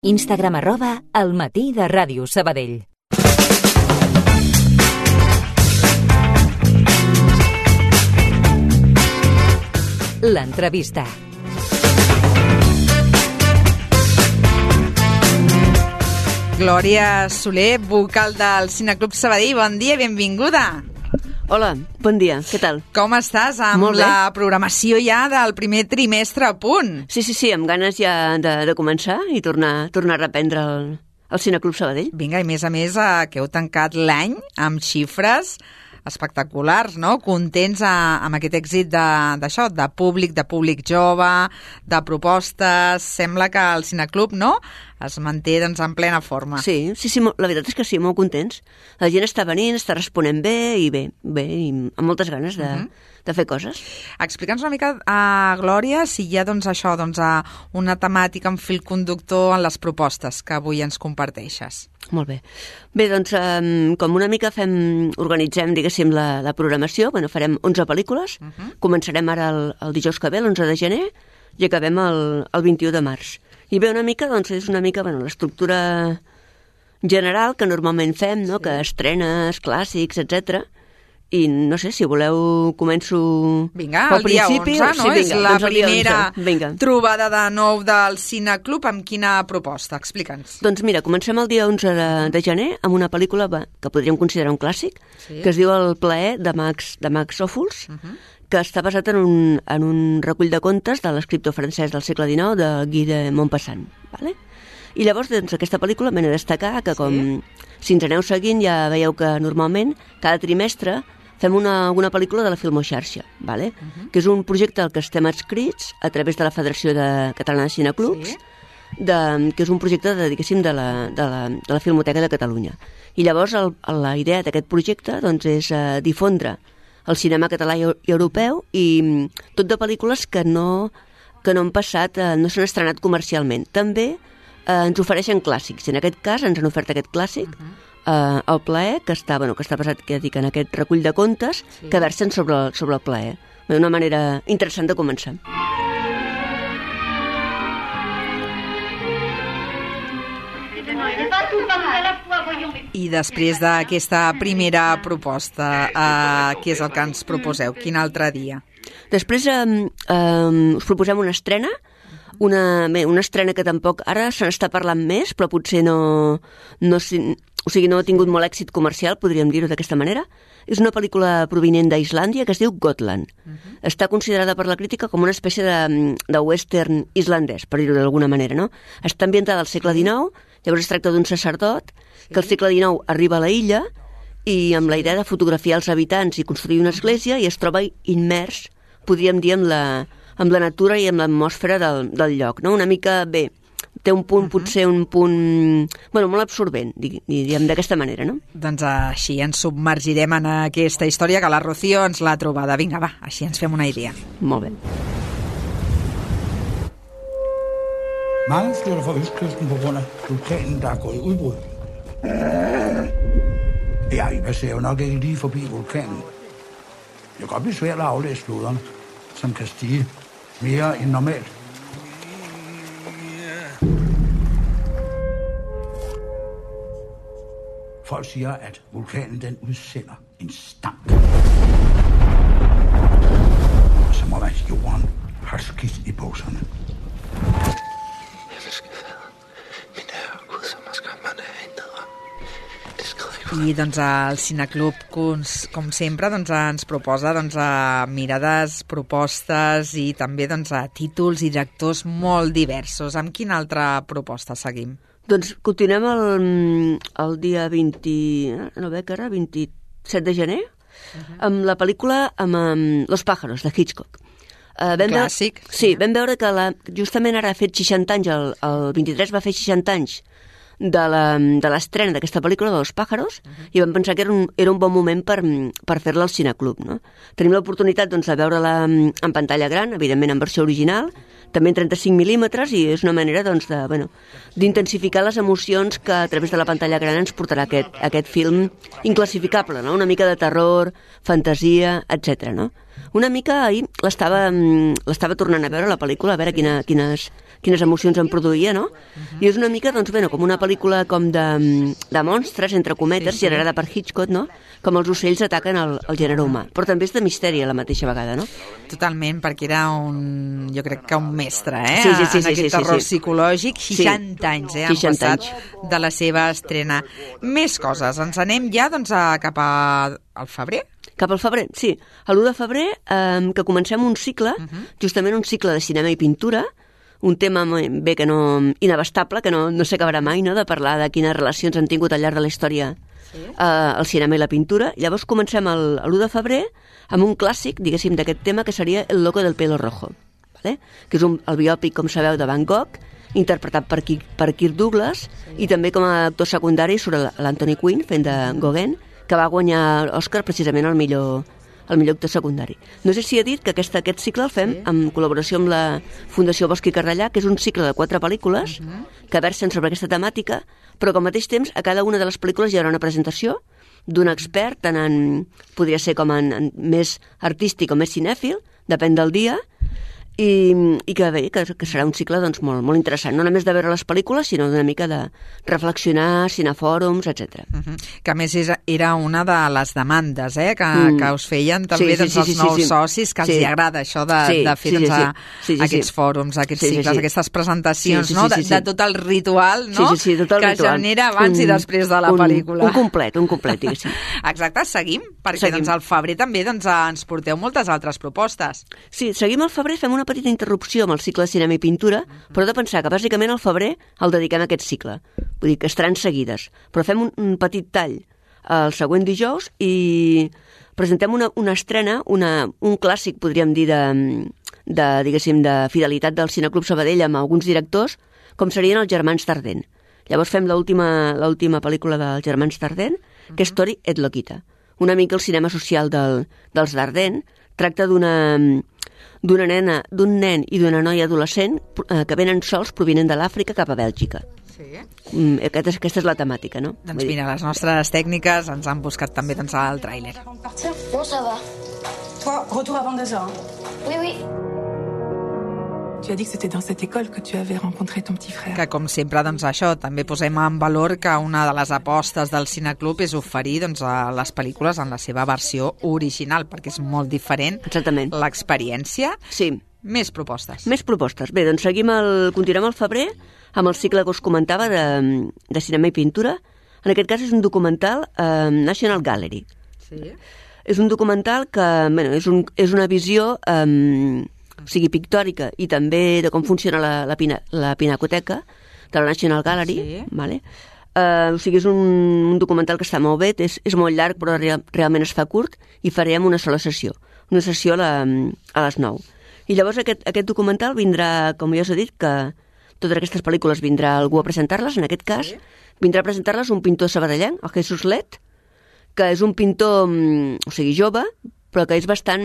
Instagram @elmatí_de_Ràdio Sabadell. L'entrevista. Glòria Soler, vocal del Cineclub Sabadell. Bon dia, benvinguda. Hola, bon dia, què tal? Com estàs amb la programació ja del primer trimestre a punt? Sí, amb ganes ja de començar i tornar a reprendre el Cineclub Sabadell. Vinga, i a més que heu tancat l'any amb xifres espectaculars, no? Contents amb aquest èxit d'això, de públic jove, de propostes. Sembla que el Cineclub, no?, es manté doncs, en plena forma. Sí, la veritat és que sí, molt contents. La gent està venint, està responent bé i amb moltes ganes de fer coses. Explica'ns una mica, Glòria, si hi ha una temàtica, un fil conductor en les propostes que avui ens comparteixes. Molt bé. Bé, doncs, com una mica organitzem, diguéssim, la programació, farem 11 pel·lícules, començarem ara el dijous que ve, l'11 de gener, i acabem el 21 de març. I bé, una mica, doncs, és una mica l'estructura general que normalment fem, no?, que estrenes, clàssics, etc. I no sé, si voleu, començo Vinga, el dia 11, no? Sí, vinga, és la doncs primera trobada de nou del Cineclub. Amb quina proposta? Explica'ns. Doncs mira, comencem el dia 11 de gener amb una pel·lícula que podríem considerar un clàssic, que es diu El plaer, de Max Ophuls, que està basat en un recull de contes de l'escriptor francès del segle XIX, de Guy de Maupassant. Vale? I llavors, doncs, aquesta pel·lícula m'he de destacar que, si ens aneu seguint, ja veieu que normalment, cada trimestre, fem una pel·lícula de la Filmoxarxa, vale? Que és un projecte al que estem adscrits a través de la Federació Catalana de Cineclubs, que és un projecte de la Filmoteca de Catalunya. I llavors la idea d'aquest projecte doncs, és difondre el cinema català i europeu i tot de pel·lícules que no han passat, no s'han estrenat comercialment. També ens ofereixen clàssics. En aquest cas ens han ofert aquest clàssic, El plaer, que està basat, en aquest recull de contes que versen sobre el plaer. Una manera interessant de començar. I després d'aquesta primera proposta, què és el que ens proposeu? Quin altre dia? Després us proposem una estrena, una estrena que tampoc ara se n'està parlant més, però potser no ha tingut molt èxit comercial, podríem dir-ho d'aquesta manera. És una pel·lícula provinent d'Islàndia que es diu Gotland. Està considerada per la crítica com una espècie de western islandès, per dir-ho d'alguna manera, no? Està ambientada al segle XIX, llavors es tracta d'un sacerdot que al segle XIX arriba a la illa i amb la idea de fotografiar els habitants i construir una església, i es troba immers, podríem dir, amb la natura i amb l'atmosfera del lloc, no? Una mica, té un punt, potser un punt, molt absorbent, diguem d'aquesta manera, no? Doncs així ens submergirem en aquesta història que la Rocío ens l'ha trobada. Vinga, va, així ens fem una idea. Molt bé. Mange flytter fra Østkysten på grund af vulkanen, der er gået i udbrud. I passerer jo nok ikke lige forbi vulkanen. Det kan godt blive svært at aflæse floderne, som kan stige mere end normalt. Folk siger, at vulkanen den udsender en stank. Som om at jorden har skidt i bukserne. I doncs el Cineclub, com sempre, ens proposa mirades, propostes i també títols i directors molt diversos. Amb quina altra proposta seguim? Doncs continuem el dia 27 de gener amb la pel·lícula Los pájaros, de Hitchcock. Clàssic. Sí, vam veure que justament ara ha fet 60 anys, el 23 va fer 60 anys de l'estrena d'aquesta pel·lícula, de Los pájaros, i vam pensar que era un bon moment per fer-la al Cineclub, no? Tenim l'oportunitat de veure-la en pantalla gran, evidentment en versió original, també en 35 mil·límetres, i és una manera d'intensificar les emocions que a través de la pantalla gran ens portarà aquest film inclassificable, no? Una mica de terror, fantasia, etc. No? Una mica ahir l'estava tornant a veure, la pel·lícula, a veure quines quines emocions em produïa, no? I és una mica, doncs, bueno, com una pel·lícula com de monstres, entre cometes, generada per Hitchcock, no? Com els ocells ataquen el gènere humà. Però també és de misteri a la mateixa vegada, no? Totalment, perquè era jo crec que un mestre, Sí, en aquest terror psicològic. 60 anys, han 60 passat anys. de la seva estrena. Més coses. Ens anem ja doncs, cap al febrer? Cap al febrer, sí. A l'1 de febrer, que comencem un cicle, justament un cicle de cinema i pintura, un tema bé que no inabastable, que no s'acabarà mai, no?, de parlar de quines relacions han tingut al llarg de la història el cinema i la pintura. Llavors comencem l'1 de febrer amb un clàssic, diguéssim, d'aquest tema, que seria El loco del pelo rojo, ¿vale? Que és el biòpic, com sabeu, de Van Gogh, interpretat per Kirk Douglas, i també com a actor secundari surt l'Anthony Quinn fent de Gauguin, que va guanyar l'Oscar precisament al millor actor secundari. No sé si he dit que aquest cicle el fem en col·laboració amb la Fundació Bosch i Carrellà, que és un cicle de 4 pel·lícules que versen sobre aquesta temàtica, però que al mateix temps a cada una de les pel·lícules hi haurà una presentació d'un expert, tant podria ser com en més artístic o més cinèfil, depèn del dia, i que bé, que serà un cicle doncs, molt, molt interessant, no només de veure les pel·lícules, sinó d'una mica de reflexionar, cinefòrums, etc. Que a més era una de les demandes que us feien també els nous socis, que els hi agrada això de fer aquests fòrums, aquests cicles, aquestes presentacions, de tot el ritual que genera abans i després de la pel·lícula. Un complet, diguéssim. Exacte, seguim, perquè al febrer també ens porteu moltes altres propostes. Sí, seguim al febrer, fem una petita interrupció amb el cicle de cinema i pintura, però de pensar que bàsicament al febrer el dediquem a aquest cicle. Vull dir que estaran seguides. Però fem un petit tall el següent dijous i presentem una estrena, un clàssic, podríem dir, diguéssim, de fidelitat del Cineclub Sabadell amb alguns directors, com serien els Germans Dardenne. Llavors fem l'última pel·lícula dels Germans Dardenne, que és Tori et Loquita. Una mica el cinema social dels Dardenne tracta d'un nen i d'una noia adolescent que venen sols provinent de l'Àfrica cap a Bèlgica. Sí. Aquesta és la temàtica, no? Doncs mira, les nostres tècniques ens han buscat també el tràiler. Non, ça va. Toi, retour avant 2 heures. Oui, oui. Tu as dit que c'était dans cette école que tu avais rencontré ton petit frère. Que, com sempre, això, també posem en valor que una de les apostes del Cineclub és oferir les pel·lícules en la seva versió original, perquè és molt diferent l'experiència. Sí. Més propostes. Bé, doncs continuem al febrer amb el cicle que us comentava de cinema i pintura. En aquest cas és un documental National Gallery. Sí. És un documental que és una visió pictòrica i també de com funciona la pinacoteca de la National Gallery. Vale? És un documental que està molt bé, és molt llarg però realment es fa curt, i farem una sola sessió, a les 9. I llavors aquest documental vindrà, com ja us he dit, que totes aquestes pel·lícules vindrà algú a presentar-les, en aquest cas vindrà a presentar-les un pintor sabadellenc, el Jesús Let, que és un pintor, jove, però que és bastant,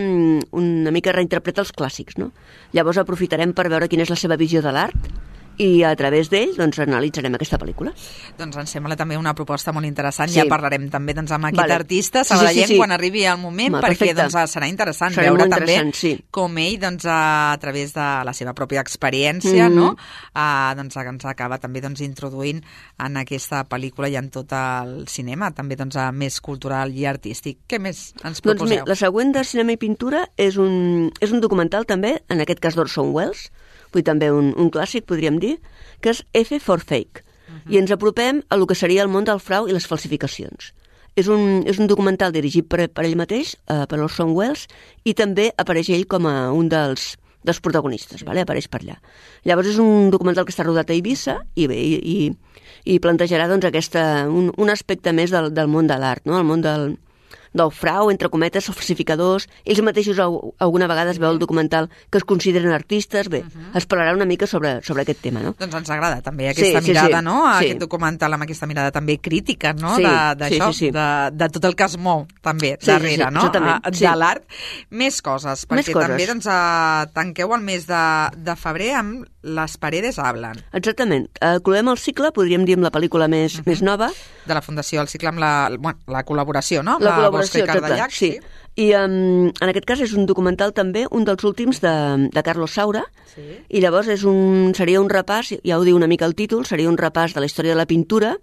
una mica reinterpreta els clàssics, no? Llavors aprofitarem per veure quina és la seva visió de l'art i a través d'ell analitzarem aquesta pel·lícula. Doncs ens sembla també una proposta molt interessant. Ja parlarem també amb aquest artista sabadellenc quan arribi el moment, perquè serà interessant veure també com ell a través de la seva pròpia experiència ens acaba també introduint en aquesta pel·lícula i en tot el cinema, també més cultural i artístic. Què més ens proposeu? La següent de cinema i pintura és un documental també, en aquest cas d'Orson Welles, també un clàssic, podríem dir, que és F for Fake. I ens apropem a lo que seria el món del frau i les falsificacions. És un documental dirigit per ell mateix, per Orson Welles, i també apareix ell com a un dels protagonistes, apareix per allà. Llavors és un documental que està rodat a Eivissa i plantejarà un aspecte més del món de l'art, no? El món del frau, entre cometes, els falsificadors. Ells mateixos alguna vegada es veu el documental que es consideren artistes. Bé, es parlarà una mica sobre aquest tema, no? Doncs ens agrada també aquesta mirada, no? Aquest documental amb aquesta mirada també crítica, no? D'això, de tot el que es mou també darrere, no? De l'art. Més coses, perquè també tanqueu el mes de febrer amb Les Paredes Hablan. Exactament. Cloem el cicle, podríem dir, amb la pel·lícula més nova. De la Fundació, el cicle amb la col·laboració, no? La col·laboració, exacte, sí. I en aquest cas és un documental també, un dels últims de Carlos Saura, i llavors seria un repàs, ja ho diu una mica el títol, seria un repàs de la història de la pintura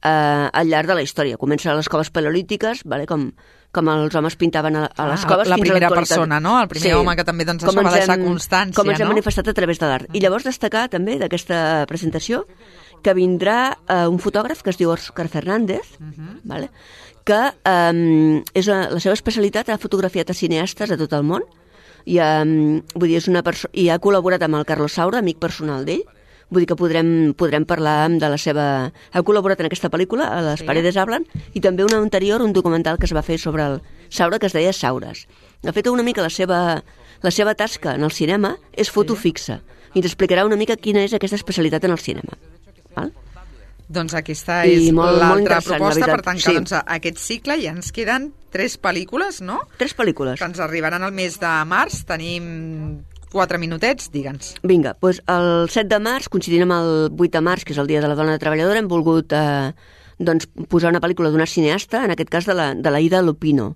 al llarg de la història. Comença a les coves paleolítiques, vale? com els homes pintaven a les coves la fins a primera l'actualitat. persona, no? El primer home que també doncs, això va deixar constància, com ens hem no? manifestat a través de l'art. I llavors destacar també d'aquesta presentació que vindrà un fotògraf que es diu Òscar Fernández, vale? Que és la seva especialitat, ha fotografiat a cineastes de tot el món i, vull dir, és una i ha col·laborat amb el Carlos Saura, amic personal d'ell. Vull dir que podrem parlar de la seva... Ha col·laborat en aquesta pel·lícula, a Les paredes hablan, i també una anterior, un documental que es va fer sobre el Saura, que es deia Saures. De fet, una mica la seva tasca en el cinema és foto fixa, i ens explicarà una mica quina és aquesta especialitat en el cinema. Val? Doncs aquesta és l'altra proposta per tancar sí. Aquest cicle, i ens queden 3 pel·lícules, no? 3 pel·lícules. Que ens arribaran al mes de març. Tenim 4 minutets, digue'ns. Vinga, doncs el 7 de març, coincidint amb el 8 de març, que és el Dia de la Dona Treballadora, hem volgut doncs, posar una pel·lícula d'una cineasta, en aquest cas de la Ida Lupino.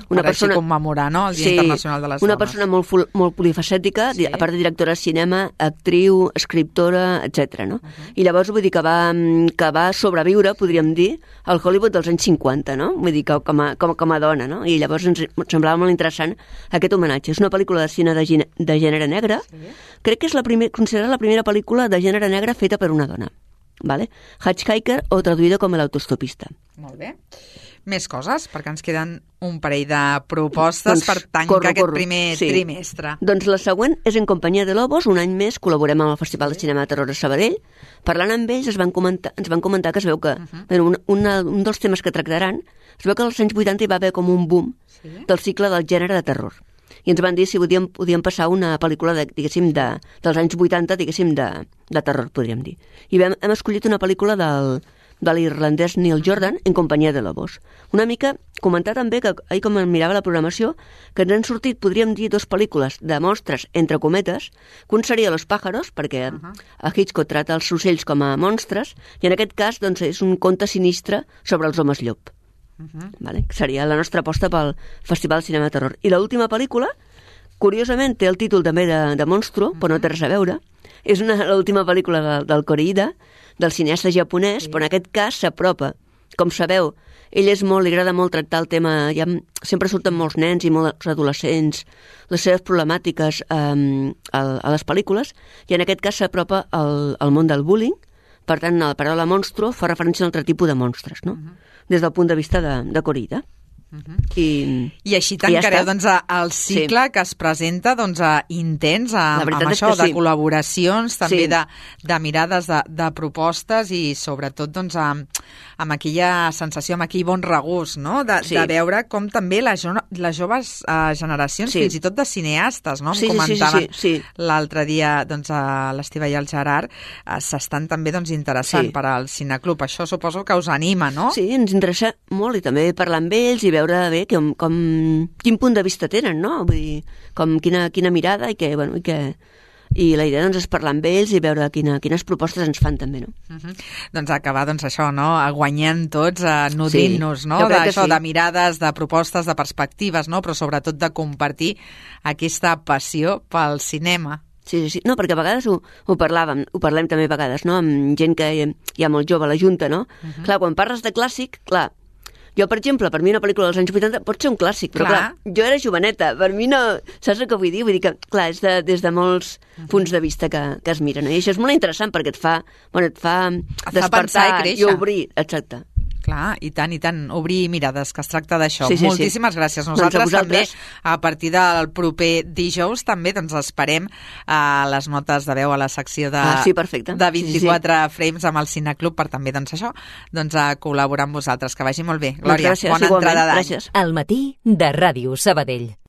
Una persona així commemorar, no?, el Dia Internacional de les Dones. Una persona molt polifacètica, a part de directora de cinema, actriu, escriptora, etc. No? I llavors vull dir que va sobreviure, podríem dir, al Hollywood dels anys 50, no? Vull dir que com a dona, no? I llavors ens semblava molt interessant aquest homenatge. És una pel·lícula de cine de gènere negre. Crec que és considerada la primera pel·lícula de gènere negre feta per una dona. Vale? Hitchhiker, o traduïda com l'autostopista. Molt bé. Més coses, perquè ens queden un parell de propostes per tancar aquest primer trimestre. Doncs la següent és En companyia de lobos. Un any més col·laborem amb el Festival de Cinema de Terror a Sabadell. Parlant amb ells ens van comentar que es veu que un dels temes que tractaran, es veu que als anys 80 hi va haver com un boom del cicle del gènere de terror. I ens van dir si podíem passar una pel·lícula dels anys 80, de terror, podríem dir. I hem escollit una pel·lícula de l'irlandès Neil Jordan, En companyia de lobos. Una mica comentar també que, ahir com em mirava la programació, que ens han sortit, podríem dir, 2 pel·lícules de monstres, entre cometes, que un seria Los pájaros, perquè a Hitchcock trata els ocells com a monstres, i en aquest cas doncs, és un conte sinistre sobre els homes llop. Vale? Seria la nostra aposta pel Festival de Cinema de Terror. I l'última pel·lícula, curiosament, té el títol també de Monstro, però no té res a veure. És l'última pel·lícula del Koreeda, del cineasta japonès, però en aquest cas s'apropa. Com sabeu, ell li agrada molt tractar el tema, sempre surten molts nens i molts adolescents, les seves problemàtiques a les pel·lícules, i en aquest cas s'apropa al món del bullying. Per tant, la paraula monstro fa referència a un altre tipus de monstres, no? Des del punt de vista de Koreeda. I així tancareu el cicle que es presenta intens amb això, de col·laboracions, també de mirades, de propostes i sobretot amb aquella sensació, amb aquell bon regust, no? De veure com també les joves generacions, fins i tot de cineastes, no? Em comentaven l'altre dia l'Estiva i el Gerard, s'estan també interessant per al cineclub. Això suposo que us anima, no? Sí, ens interessa molt i també parlar amb ells i veure bé quin punt de vista tenen, no? Vull dir, quina mirada i la idea és parlar amb ells i veure quines propostes ens fan també, no? Doncs acabar això, no? Guanyant tots, nodrint-nos, no? De mirades, de propostes, de perspectives, no? Però sobretot de compartir aquesta passió pel cinema. Sí. No, perquè a vegades ho parlem també a vegades, no? Amb gent que hi ha molt jove a la Junta, no? Clar, quan parles de clàssic, clar, jo, per exemple, per mi una pel·lícula dels anys 80 pot ser un clàssic, però clar, jo era joveneta, per mi no... Saps el que vull dir? Vull dir que, clar, és des de molts punts de vista que es miren. I això és molt interessant perquè et fa despertar i obrir, exacte. Clar, i tant, obrir mirades, que es tracta d'això. Moltíssimes gràcies. Nosaltres també, a partir del proper dijous, també esperem les notes de veu a la secció de 24 frames amb el Cineclub per també, col·laborar amb vosaltres. Que vagi molt bé. Glòria, bona entrada d'any. Al matí de Ràdio Sabadell.